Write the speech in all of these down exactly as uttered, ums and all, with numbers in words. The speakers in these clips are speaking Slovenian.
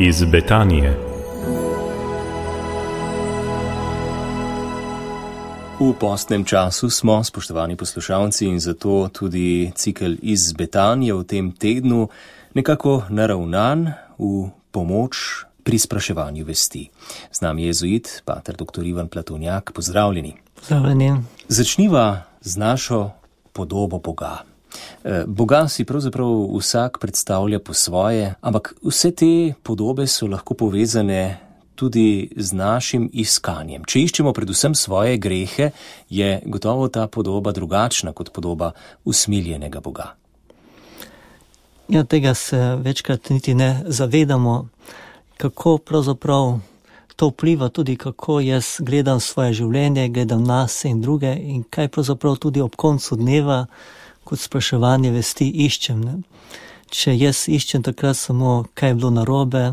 iz Betanije. V postnem času smo, spoštovani poslušalci, in zato tudi cikel iz Betanije v tem tednu nekako naravnan v pomoč pri spraševanju vesti. Z nami je jezuit, pater doktor Ivan Platonjak. Pozdravljeni. Pozdravljeni. Začniva z našo podobo Boga. Boga si pravzaprav vsak predstavlja po svoje, ampak vse te podobe so lahko povezane tudi z našim iskanjem. Če iščemo predvsem svoje grehe, je gotovo ta podoba drugačna kot podoba usmiljenega Boga. Ja, tega se večkrat niti ne zavedamo, kako pravzaprav to vpliva tudi, kako jaz gledam svoje življenje, gledam nas in druge in kaj pravzaprav tudi ob koncu dneva kot spraševanje vesti iščem. Ne? Če jaz iščem takrat samo, kaj je bilo narobe,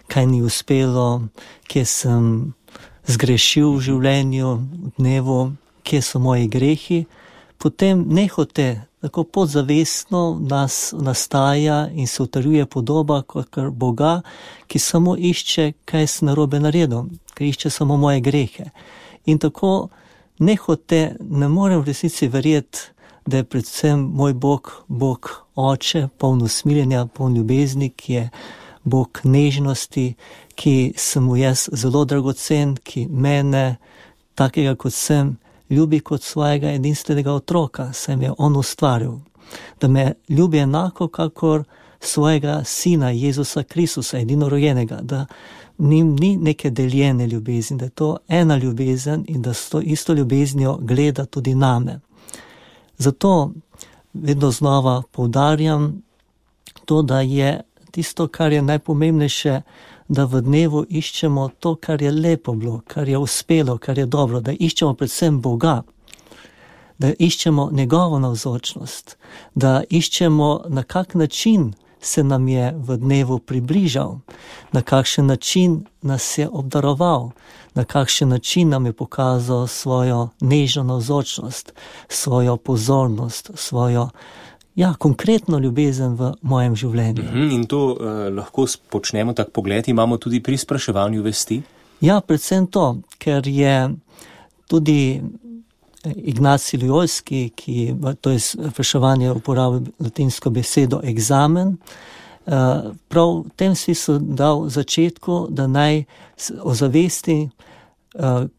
kaj ni uspelo, kje sem zgrešil v življenju, v dnevu, kje so moji grehi, potem nehote, tako podzavestno nas nastaja in se utrjuje podoba kot Boga, ki samo išče, kaj sem narobe naredil, ki išče samo moje grehe. In tako nehote ne morem v resnici verjeti, da je predvsem moj Bog, Bog Oče, poln usmiljenja, poln ljubezni, ki je Bog nežnosti, ki sem mu jaz zelo dragocen, ki mene, takega kot sem, ljubi kot svojega edinstvenega otroka, saj me je on ustvaril. Da me ljubi enako, kakor svojega sina Jezusa Kristusa, edinorojenega, da njim ni neke deljene ljubezni, da je to ena ljubezen in da s to isto ljubeznijo gleda tudi name. Zato vedno znova poudarjam to, da je tisto, kar je najpomembnejše, da v dnevu iščemo to, kar je lepo bilo, kar je uspelo, kar je dobro, da iščemo predvsem Boga, da iščemo njegovo navzočnost, da iščemo, na kak način se nam je v dnevu približal, na kakšen način nas je obdaroval, na kakšen način nam je pokazal svojo nežno navzočnost, svojo pozornost, svojo ja, konkretno ljubezen v mojem življenju. Uhum, in to eh, lahko počnemo tak pogled, imamo tudi pri spraševanju vesti? Ja, predvsem to, ker je tudi Ignacij Loyolski, ki to je spraševanje uporabil latinsko besedo eksamen, prav v tem smislu dal v začetku, da naj ozavesti,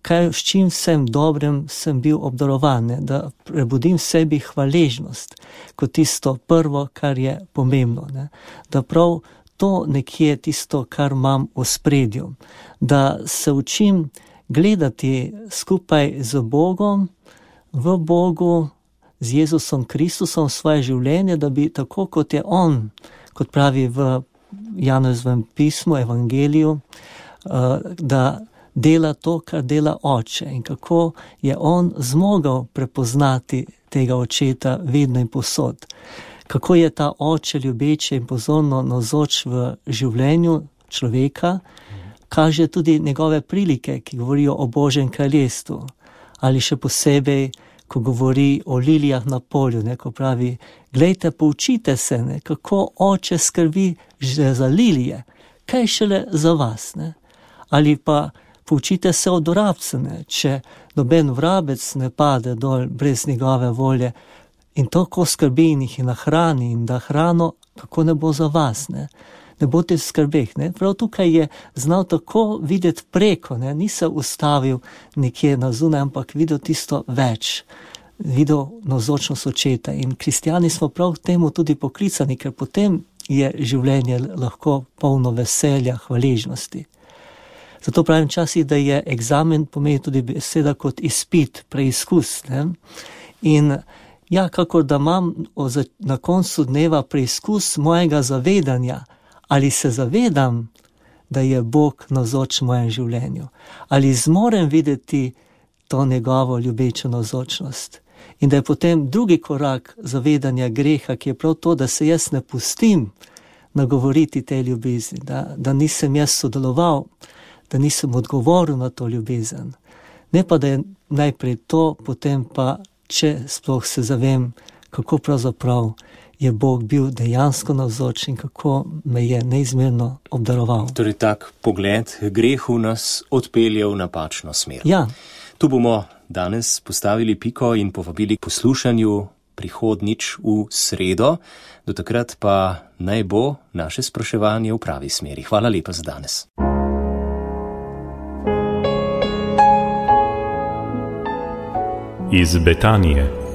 kaj, s čim vsem dobrem sem bil obdarovan, ne? Da prebudim v sebi hvaležnost kot tisto prvo, kar je pomembno. Ne? Da prav to nekje tisto, kar imam v ospredju. Da se učim gledati skupaj z Bogom, v Bogu, z Jezusom Kristusom svoje življenje, da bi tako kot je on, kot pravi v Janezovem pismu, evangeliju, da dela to, kar dela Oče in kako je on zmogel prepoznati tega očeta vedno in povsod. Kako je ta Oče ljubeče in pozorno navzoč v življenju človeka, kaže tudi njegove prilike, ki govorijo o Božjem kraljestvu. Ali še posebej, ko govori o lilijah na polju, ne, ko pravi, glejte, poučite se, ne, kako Oče skrbi že za lilije, kaj šele za vas. Ne. Ali pa poučite se od vrabca, ne, če noben vrabec ne pade dol brez njegove volje in tako skrbi in jih nahrani in da hrano, kako ne bo za vas, ne. Ne bote v skrbeh. Ne? Prav tukaj je znal tako videti preko, ne? Ni se ustavil nekje na zunaj, ampak videl tisto več, videl navzočnost očeta. In kristjani smo prav k temu tudi poklicani, ker potem je življenje lahko polno veselja, hvaležnosti. Zato pravim časih, da je eksamen pomeni tudi beseda kot izpit, preizkus. Ne? In ja, kakor da imam na koncu dneva preizkus mojega zavedanja, ali se zavedam, da je Bog navzoč v mojem življenju? Ali zmorem videti to njegovo ljubečo navzočnost? In da je potem drugi korak zavedanja greha, ki je prav to, da se jaz ne pustim nagovoriti te ljubezni, da, da nisem jaz sodeloval, da nisem odgovoril na to ljubezen. Ne pa, da je najprej to, potem pa, če sploh se zavem, kako pravzaprav je Bog bil dejansko navzoč in kako me je neizmerno obdaroval. Torej tak pogled grehu nas odpelje v napačno smer. Ja. Tu bomo danes postavili piko in povabili k poslušanju prihodnič v sredo. Do takrat pa naj bo naše spraševanje v pravi smeri. Hvala lepa za danes. Iz Betanije.